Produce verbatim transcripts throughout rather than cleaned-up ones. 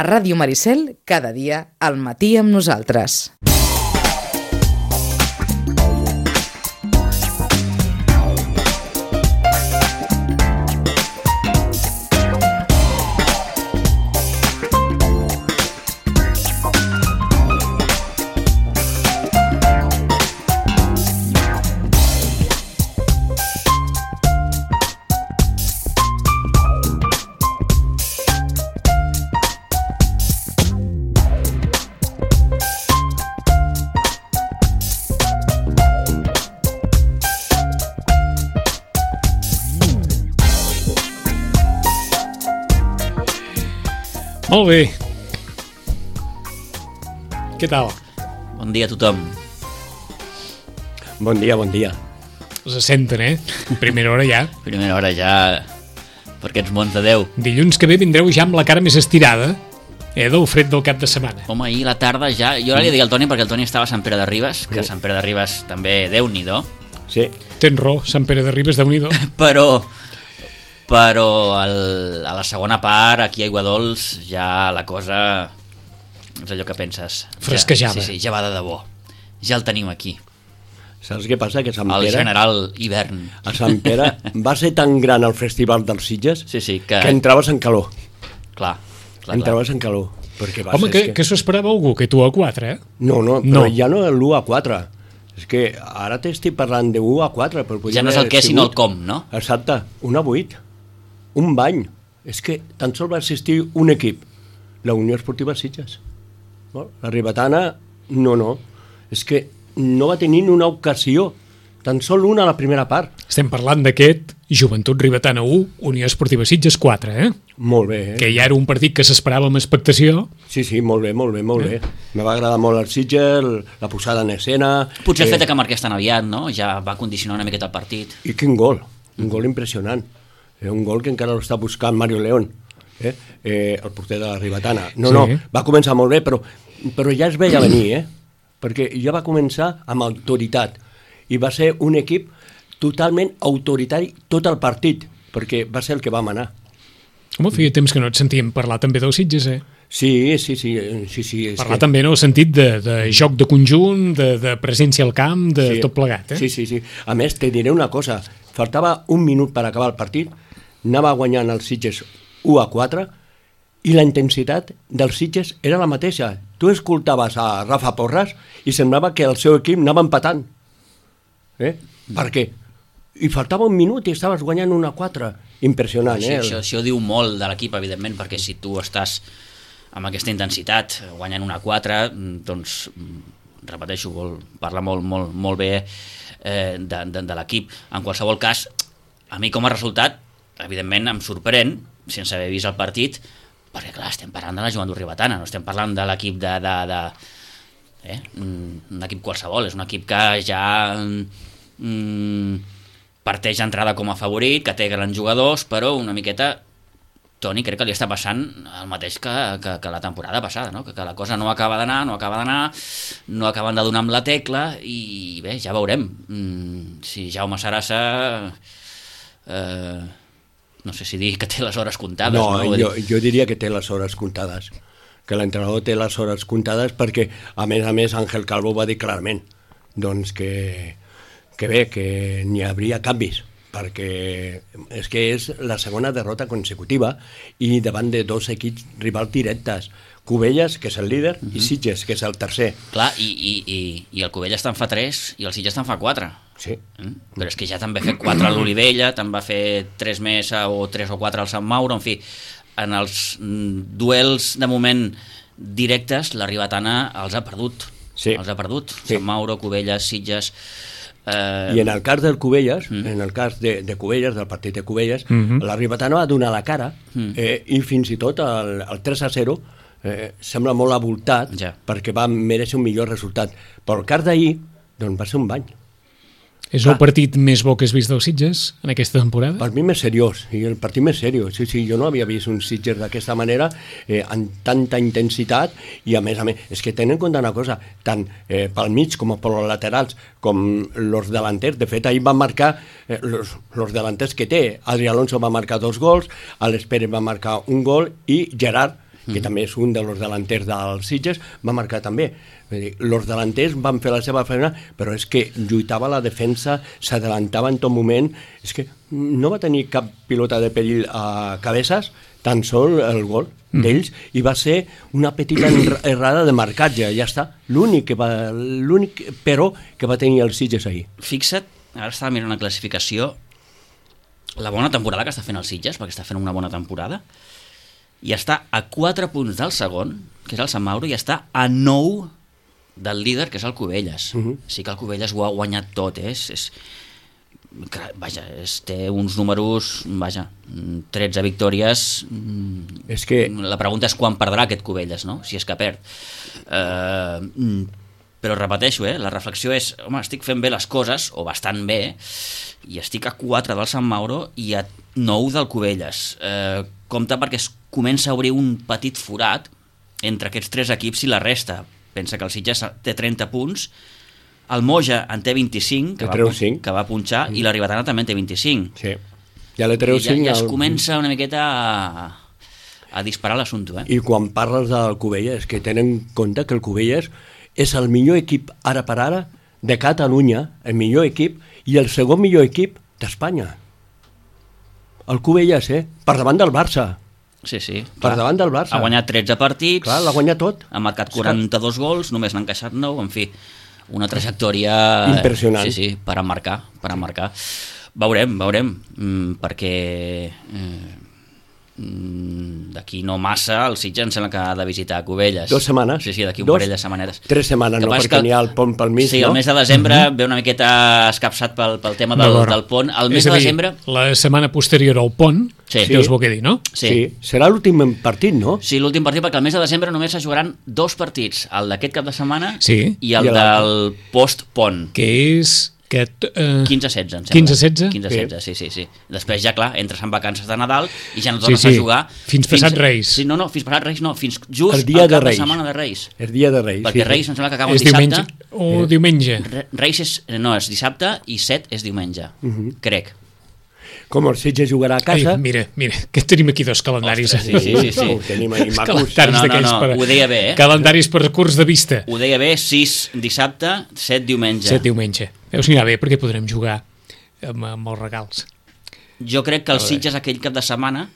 A Ràdio Maricel, cada dia al matí amb nosaltres. Molt bé. Què tal? Bon dia a tothom. Bon dia, bon dia. Us senten, eh? Primera hora ja. Primera hora ja per aquests mons de Déu. Dilluns que ve vindreu ja amb la cara més estirada, eh, del fred del cap de setmana. Home, ahir a la tarda ja... Jo ara li dic al Toni perquè el Toni estava a Sant Pere de Ribes, que a Sant Pere de Ribes també Déu-n'hi-do. Sí. Tens raó, Sant Pere de Ribes, Déu-n'hi-do. Però... però el, a la segona part, aquí a Aiguadols, ja la cosa és allò que penses. Fresquejada. Ja, sí, sí, ja va de debò. Ja el tenim aquí. Saps què passa? Que Sant El Pere, general hivern. a Sant Pere va ser tan gran el festival dels Sitges Sí, sí, que... que entraves en calor. Clar, clar, Entraves clar. en calor. Perquè va Home, ser, que, és que s'ho esperava algú, que tu a quatre, eh? No, no, però No. ja no l'u a quatre. És que ara t'estic parlant de u a quatre. Però Ja no és el què, sinó el com, no? Exacte, un a vuit. Un bany. És que tan sols va assistir un equip, la Unió Esportiva Sitges. No? La Ribetana, no, no. És que no va tenir ni una ocasió, tan sols una a la primera part. Estem parlant d'aquest Joventut Ribetana u, Unió Esportiva Sitges quatre, eh? Molt bé, eh? Que ja era un partit que s'esperava amb expectació. Sí, sí, molt bé, molt bé, molt bé. Me va agradar molt el Sitges, la posada en escena... Potser el eh, fet que marqués tan aviat, no? Ja va condicionar una miqueta el partit. I quin gol, un gol impressionant. Eh, un gol que encara l'està buscant Mario León, eh? Eh, el porter de la Ribetana. No, Sí. no, va començar molt bé, però, però ja es veia venir, eh? Perquè ja va començar amb autoritat. I va ser un equip totalment autoritari tot el partit, perquè va ser el que va manar. Home, feia temps que no et sentíem parlar també del Sitges, eh? Sí, sí, sí. sí, sí és Parlar que... també en el sentit de, de joc de conjunt, de, de presència al camp, de sí, tot plegat, eh? Sí, sí, sí. A més, te diré una cosa. Faltava un minut per acabar el partit, anava guanyant els Sitges u a quatre i la intensitat dels Sitges era la mateixa. Tu escoltaves a Rafa Porras i semblava que el seu equip anava empatant. Eh? Per què? I faltava un minut i estaves guanyant un a quatre. Impressionant, Això, eh? això, això diu molt de l'equip, evidentment, perquè si tu estàs amb aquesta intensitat, guanyant una a quatre, doncs, repeteixo, vol, parla molt, molt, molt bé eh, de, de, de l'equip. En qualsevol cas, a mi com a resultat, evidentment em sorprèn, sense haver vist el partit, perquè clar, estem parlant de la Joventut Ribetana, no estem parlant de l'equip de... de, de eh, un equip qualsevol, és un equip que ja... Mm, parteix d'entrada com a favorit, que té grans jugadors, però una miqueta, Toni, crec que li està passant el mateix que, que, que la temporada passada, no? que, que la cosa no acaba d'anar, no acaba d'anar, no acaben de donar amb la tecla, i bé, ja veurem. Mm, si Jaume Sarassa, eh, no sé si dir que té les hores comptades. No, no? jo, jo diria que té les hores comptades, que l'entrenador té les hores comptades perquè, a més a més, Ángel Calvo va dir clarament doncs que que bé, que n'hi hauria canvis, perquè és que és la segona derrota consecutiva i davant de dos equips rivals directes, Cubelles, que és el líder, uh-huh. i Sitges, que és el tercer. Clar, i, i, i, i el Cubelles te'n fa tres i el Sitges te'n fa quatre. Sí. Mm? Però és que ja te'n va fer quatre a l'Olivella, te'n va fer tres més o tres o quatre al Sant Mauro, en fi, en els mm, duels de moment directes, la Ribetana els ha perdut. Sí. Els ha perdut. Sí. Sant Mauro, Cubelles, Sitges... Eh... I en el cas del Cubelles, Mm. en el cas de, de Cubelles, del partit de Cubelles, Mhm. la Ribetana va donar la cara, Mm. eh, i fins i tot el, el tres a zero eh, sembla molt avoltat, Ja. perquè va mereixer un millor resultat. Però el cas d'ahir, doncs va ser un bany. És el partit més bo que has vist dels Sitges en aquesta temporada? Per mi més seriós, i el partit més seriós. Sí, sí, jo no havia vist un Sitges d'aquesta manera, eh, amb tanta intensitat, i a més a més, és que tenen en compte una cosa, tant eh, pel mig com per els laterals, com els delanters. De fet, ahir van marcar eh, los, los delanters que té. Adri Alonso va marcar dos gols, Alex Pérez va marcar un gol, i Gerard, que mm. també és un dels delanters dels Sitges, va marcar també. Els delanters van fer la seva feina, però és que lluitava la defensa, s'adelantava en tot moment, és que no va tenir cap pilota de perill a Cabezas, tan sol el gol mm. d'ells, i va ser una petita errada de marcatge, ja està, l'únic que va, l'únic però que va tenir els Sitges ahir. Fixa't, ara estava mirant la classificació, la bona temporada que està fent el Sitges, perquè està fent una bona temporada, i està a quatre punts del segon, que és el Sant Mauro, i està a nou del líder, que és el Cubelles. Uh-huh. Sí que el Cubelles ho ha guanyat tot, eh? és, és, vaja, és, té uns números, vaja, tretze victòries. És que... La pregunta és quan perdrà aquest Cubelles, no? Si és que perd. Eh, però repeteixo, eh? La reflexió és, home, estic fent bé les coses, o bastant bé, i estic a quatre del Sant Mauro i a nou del Cubelles. Eh, compte perquè es comença a obrir un petit forat entre aquests tres equips i la resta. Pensa que el Sitges té trenta punts, el Moja en té vint-i-cinc, que, va, que va punxar, mm. i la Ribetana també en té vint-i-cinc. Sí. Ja le treu cinc. Ja, ja es comença una miqueta a, a disparar l'assumpte. Eh? I quan parles del Cubelles, que tenen en compte que el Cubelles és el millor equip ara per ara de Catalunya, el millor equip, i el segon millor equip d'Espanya. El Cubelles, eh? Per davant del Barça. Sí, sí. Per davant del Barça. Ha guanyat tretze partits. Clar, l'ha guanyat tot. Ha marcat quaranta-dos gols, només n'ha encaixat nou, en fi, una trajectòria... Impressionant. Sí, sí, per emmarcar, per emmarcar. Veurem, veurem, mm, perquè eh, d'aquí no massa el Sitges em sembla que ha de visitar Cubelles. Dos setmanes. Sí, sí, d'aquí un Dos, parell de setmanetes. Tres setmanes, no, perquè n'hi ha el pont pel mig, sí, no? Sí, el mes de desembre uh-huh. ve una miqueta escapçat pel, pel tema del, del pont. El mes és de a dir, desembre... la setmana posterior al pont, sí. Déus vol què dir, no? Sí. sí. Serà l'últim partit, no? Sí, l'últim partit, perquè el mes de desembre només es jugaran dos partits, el d'aquest cap de setmana sí. i el I del post-pont. Que és... Que, uh... quinze setze, em sembla. quinze setze? quinze setze, sí, sí, sí. Després ja, clar, entres en vacances de Nadal i ja no sí, tornes sí. a jugar. Fins passat Reis. Sí, no, no, fins passat Reis no, fins just el dia al de cap Reis. de setmana de Reis. El dia de Reis. Perquè sí, Reis em sembla que acaba és un dissabte. Diumenge, o eh. diumenge. Reis és, no, és dissabte i set és diumenge, uh-huh. crec. Com el Sitges jugarà a casa... Ai, mira, mira, que tenim aquí dos calendaris. Ostres, sí, sí, sí, sí. Ho tenim ahí macos. Calendaris no, no, no, per, ho deia bé, eh? Calendaris per curs de vista. Ho deia bé, sis dissabte, set diumenge. set diumenge. Veus, anirà bé perquè podrem jugar amb, amb els regals. Jo crec que el Sitges aquell cap de setmana,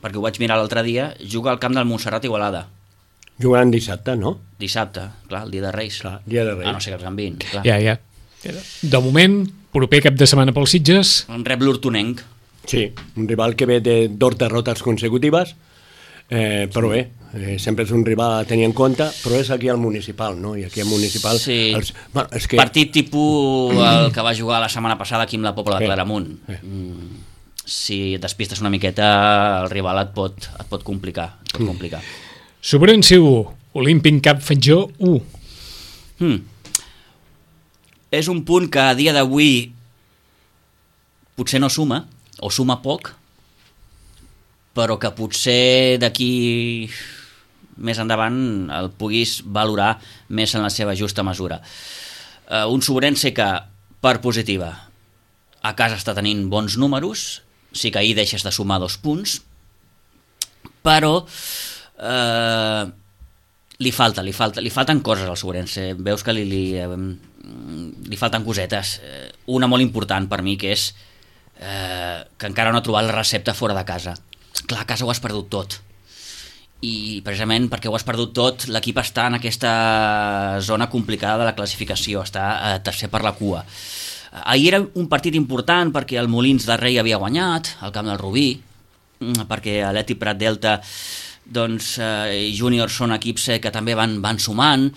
perquè ho vaig mirar l'altre dia, juga al camp del Montserrat Igualada. Jugaran dissabte, no? Dissabte, clar, el dia de Reis. Clar, dia de Reis. Ah, no sé que els canviïn, clar. Ja, ja. De moment, proper cap de setmana pels Sitges. En rep l'Hortonenc. Sí, un rival que ve de dos derrotes consecutives, eh, però bé, eh, sempre és un rival a tenir en compte, però és aquí al municipal, no? I aquí al municipal... Sí, els, bueno, és que... partit tipus el que va jugar la setmana passada aquí amb la Pobla de Claramunt. Eh. Mm, si et despistes una miqueta, el rival et pot, et pot complicar. Et pot complicar. Sobrense u, Olímpic Cap Fatjó u. Mm. És un punt que a dia d'avui potser no suma, o suma poc, però que potser d'aquí més endavant el puguis valorar més en la seva justa mesura. Uh, un Sobrense que, per positiva, a casa està tenint bons números, sí que ahir deixes de sumar dos punts, però uh, li falta, li falta, li falten coses al Sobrense. Veus que li, li, uh, li falten cosetes. Uh, una molt important per mi, que és Eh, que encara no ha trobat la recepta fora de casa. Clar, a casa ho has perdut tot, i precisament perquè ho has perdut tot l'equip està en aquesta zona complicada de la classificació, està eh, tercer per la cua. Ahir era un partit important perquè el Molins de Rei havia guanyat al camp del Rubí, perquè l'Eti Prat Delta doncs, eh, i Júnior són equips que també van, van sumant.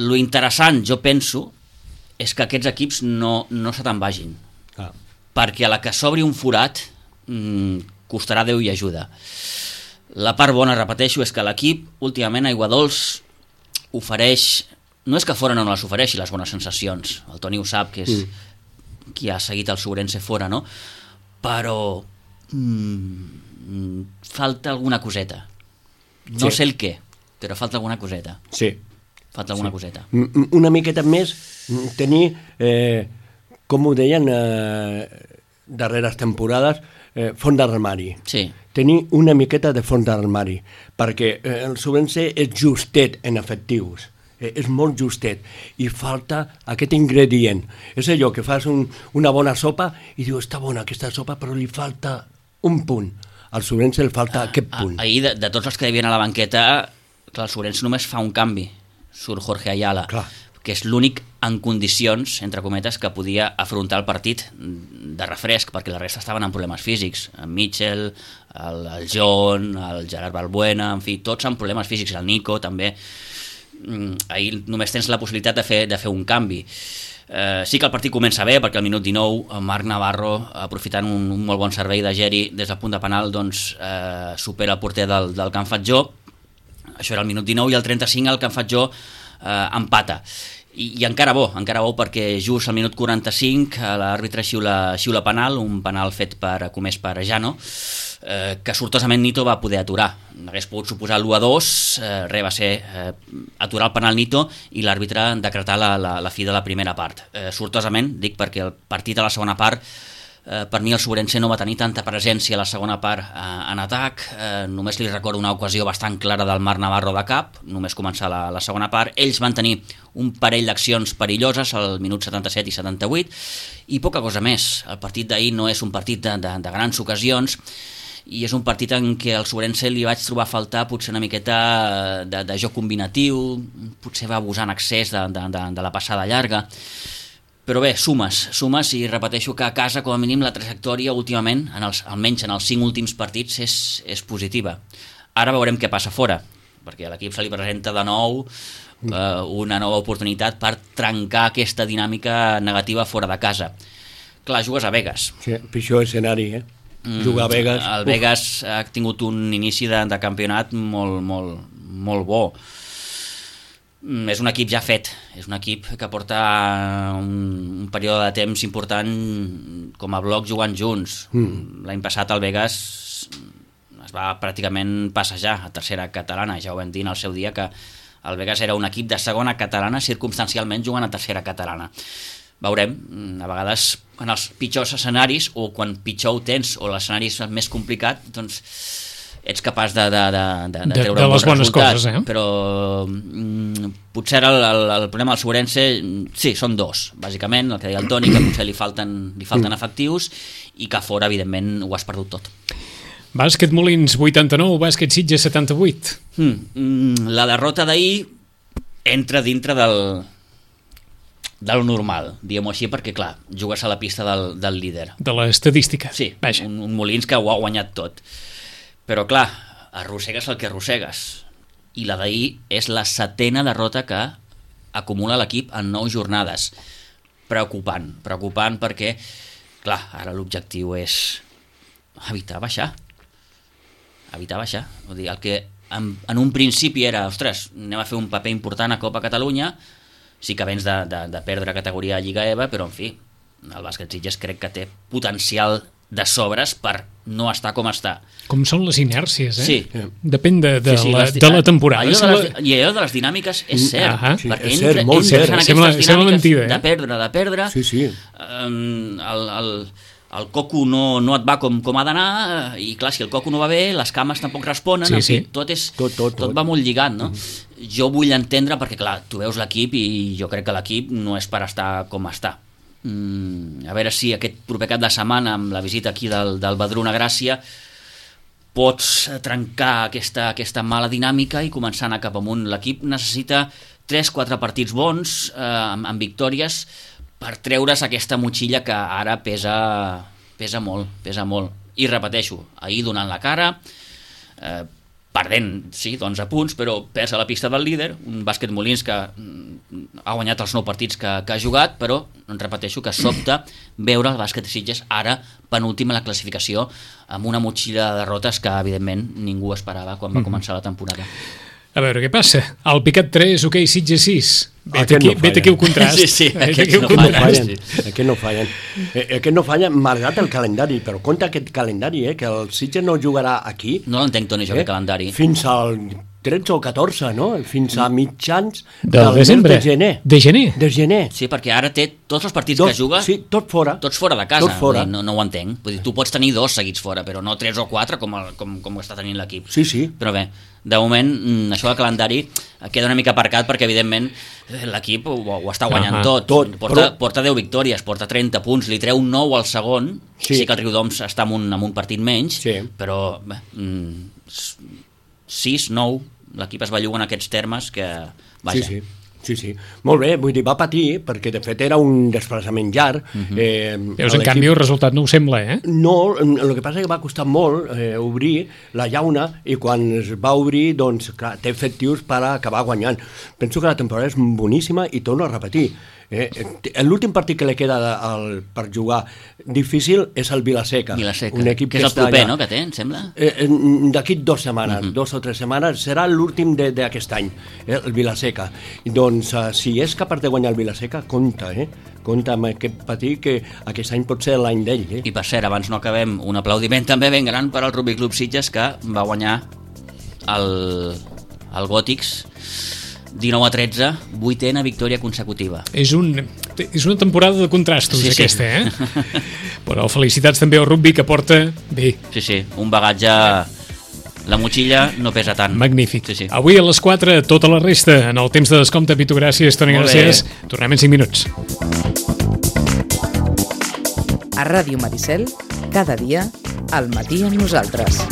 Lo interessant, jo penso, és que aquests equips no, no se te'n vagin. Ah. Perquè a la que s'obri un forat mmm, costarà Déu i ajuda. La part bona, repeteixo, és que l'equip últimament a Aiguadols ofereix, no és que fora no les ofereixi les bones sensacions, el Toni ho sap, que és mm. qui ha seguit el Sobrense fora, no? Però mmm, falta alguna coseta. No sí. sé el què, però falta alguna coseta. Sí. Falta alguna sí. coseta. Una miqueta més tenir... Eh... com ho deien eh, darreres temporades, eh, fons d'armari. Sí. tenir una miqueta de fons d'armari, perquè eh, el Sobrense és justet en efectius, eh, és molt justet, i falta aquest ingredient. És allò que fas un, una bona sopa i dius, està bona aquesta sopa, però li falta un punt. Al Sobrense li falta ah, aquest punt. Ahir, de, de tots els que hi havia a la banqueta, clar, el Sobrense només fa un canvi, surt Jorge Ayala, clar, que és l'únic en condicions, entre cometes, que podia afrontar el partit de refresc, perquè la resta estaven amb problemes físics. En Mitchell, el, el John, el Gerard Balbuena, en fi, tots amb problemes físics, el Nico també. Ahir només tens la possibilitat de fer, de fer un canvi. Eh, sí que el partit comença bé, perquè al minut dinou Marc Navarro, aprofitant un, un molt bon servei de Geri des del punt de penal, doncs eh, supera el porter del, del Can Fatjó. Això era el minut dinou, i al trenta-cinc el Can Fatjó eh, empata. I, i encara bo, encara bo, perquè just al minut quaranta-cinc l'àrbitre xiula, xiula penal, un penal fet per, comès per Jano, eh, que sortosament Nito va poder aturar. Hagués pogut suposar l'u a dos, eh, res, va ser eh, aturar el penal Nito i l'àrbitre decretar la, la, la fi de la primera part. Eh, sortosament, dic perquè el partit a la segona part, eh, per mi el Sobrense no va tenir tanta presència a la segona part eh, en atac, eh, només li recordo una ocasió bastant clara del Marc Navarro de cap, només començar la, la segona part. Ells van tenir un parell d'accions perilloses al minut setanta-set i setanta-vuit, i poca cosa més. El partit d'ahir no és un partit de, de, de grans ocasions, i és un partit en què al Sobrense li vaig trobar a faltar potser una miqueta de, de joc combinatiu, potser va abusar en excés de, de, de, de la passada llarga, però bé, sumes, sumes, i repeteixo que a casa, com a mínim, la trajectòria últimament, en els, almenys en els cinc últims partits, és, és positiva. Ara veurem què passa fora, perquè a l'equip se li presenta de nou eh, una nova oportunitat per trencar aquesta dinàmica negativa fora de casa. Clar, jugues a Vegas. Sí, pitjor escenari, eh? Jugar a Vegas. El Vegas uf. ha tingut un inici de, de campionat molt, molt, molt bo. És un equip ja fet, és un equip que porta un, un període de temps important com a bloc jugant junts. Mm. L'any passat el Vegas es va pràcticament passejar a tercera catalana, ja ho vam dir en el seu dia que el Vegas era un equip de segona catalana circumstancialment jugant a tercera catalana. Veurem, a vegades en els pitjors escenaris, o quan pitjor ho tens, o l'escenari és més complicat, doncs ets capaç de, de, de, de, de treure de un bon resultat, coses, eh? Però mm, potser el, el, el problema del Sobrense, sí, són dos, bàsicament, el que deia el Toni, que potser li falten, li falten mm. efectius, i que fora, evidentment, ho has perdut tot. Bàsquet Molins vuitanta-nou, bàsquet Sitges setanta-vuit. Mm, mm, la derrota d'ahir entra dintre del del normal, diguem-ho així, perquè clar, jugues a la pista del, del líder. De l'estadística. Sí, un, un Molins que ho ha guanyat tot. Però clar, arrossegues el que arrossegues. I la d'ahir és la setena derrota que acumula l'equip en nou jornades. Preocupant, preocupant perquè, clar, ara l'objectiu és evitar baixar. Evitar baixar. Vull dir, el que en, en un principi era, ostres, anem a fer un paper important a Copa Catalunya, sí que vens de, de, de perdre categoria a Lliga E V A, però en fi, el bàsquet Sitges crec que té potencial de sobres per no estar com està. Com són les inèrcies, eh? Sí. Depèn de, de, sí, sí, la, les, de la temporada. Allò de les, I allò de les dinàmiques és cert, uh -huh. perquè sí, entra, cert, molt entres cert. en aquestes Sembla, dinàmiques sembla mentida, eh? de perdre, de perdre, sí, sí. Um, el, el, el coco no, no et va com, com ha d'anar, i clar, si el coco no va bé, les cames tampoc responen, sí, en fi, sí. tot, és, tot, tot, tot tot va molt lligat, no? Mm-hmm. Jo vull entendre, perquè clar, tu veus l'equip i jo crec que l'equip no és per estar com està. Mm, a veure si aquest proper cap de setmana, amb la visita aquí del, del Badruna Gràcia, pots trencar aquesta, aquesta mala dinàmica i començar a anar cap amunt. L'equip necessita tres quatre partits bons, eh, amb, amb victòries, per treure's aquesta motxilla que ara pesa, pesa molt, pesa molt. I repeteixo, ahir donant la cara, eh, perdent, sí, d'onze punts, però perds a la pista del líder, un bàsquet Molins que ha guanyat els nou partits que, que ha jugat, però repeteixo que sobta veure el bàsquet de Sitges ara penúltim a la classificació amb una motxilla de derrotes que evidentment ningú esperava quan va començar la temporada. A veure què passa. El Picat tres, ok, Sitges sis. Vet Aquest aquí, no vet aquí el contrast. Sí, sí, Vet aquests aquí el no contrast. fallen. fallen. Aquest no fallen. Eh, aquest no fallen, malgrat el calendari, però compte aquest calendari, eh, que el Sitges no jugarà aquí. No l'entenc, Toni, jo, eh, aquest calendari. Fins al tretze o catorze, no? Fins a mitjans Del del mes desembre. de gener. De gener? De gener. Sí, perquè ara té tots els partits Tot, que juga, sí, tot fora. tots fora de casa. Tot fora. Vull dir, no, no ho entenc. Vull dir, tu pots tenir dos seguits fora, però no tres o quatre com, el, com, com ho està tenint l'equip. Sí, sí. Però bé, de moment, mm, això del calendari queda una mica aparcat perquè, evidentment, l'equip ho, ho està guanyant Ah, tot. tot, Porta, però- porta deu victòries, porta trenta punts, li treu nou al segon. Sí. Sí, que el Riudoms està amb un, amb un partit menys, Sí. però bé, mm, sis, nou, l'equip es belluga en aquests termes que... Vaja. Sí, sí. Sí, sí. Molt bé, vull dir, va patir, perquè de fet era un desplaçament llarg. Mhm. eh, Veus, en l'equip- canvi, el resultat no ho sembla, eh? No, el que passa és que va costar molt eh, obrir la llauna i quan es va obrir, doncs, clar, té efectius per acabar guanyant. Penso que la temporada és boníssima i torno a repetir. Eh, eh, L'últim partit que li queda de, el, per jugar difícil és el Vilaseca. Vilaseca, un equip que és el està proper, allà. no?, que té, em sembla? Eh, eh, D'aquí dues setmanes, uh -huh. dos o tres setmanes, serà l'últim de- d'aquest any, eh, el Vilaseca. I doncs, eh, si és capaç de guanyar el Vilaseca, compta, eh? Compta amb aquest partit que aquest any pot ser l'any d'ell, eh? I per cert, abans no acabem, un aplaudiment també ben gran per al Rugby Club Sitges, que va guanyar el, el Gòtics dinou a tretze, vuitena victòria consecutiva. És, un, és una temporada de contrastos, Sí, sí. aquesta, eh? Però felicitats també al rugby, que porta... Bé, Sí, sí, un bagatge... La motxilla no pesa tant. magnífic. Sí, sí. Avui a les quatre, tota la resta. En el temps de descompte, Pitu, gràcies, Toni, Molt bé. gràcies. Tornem en cinc minuts. A Ràdio Maricel, cada dia, al matí amb nosaltres.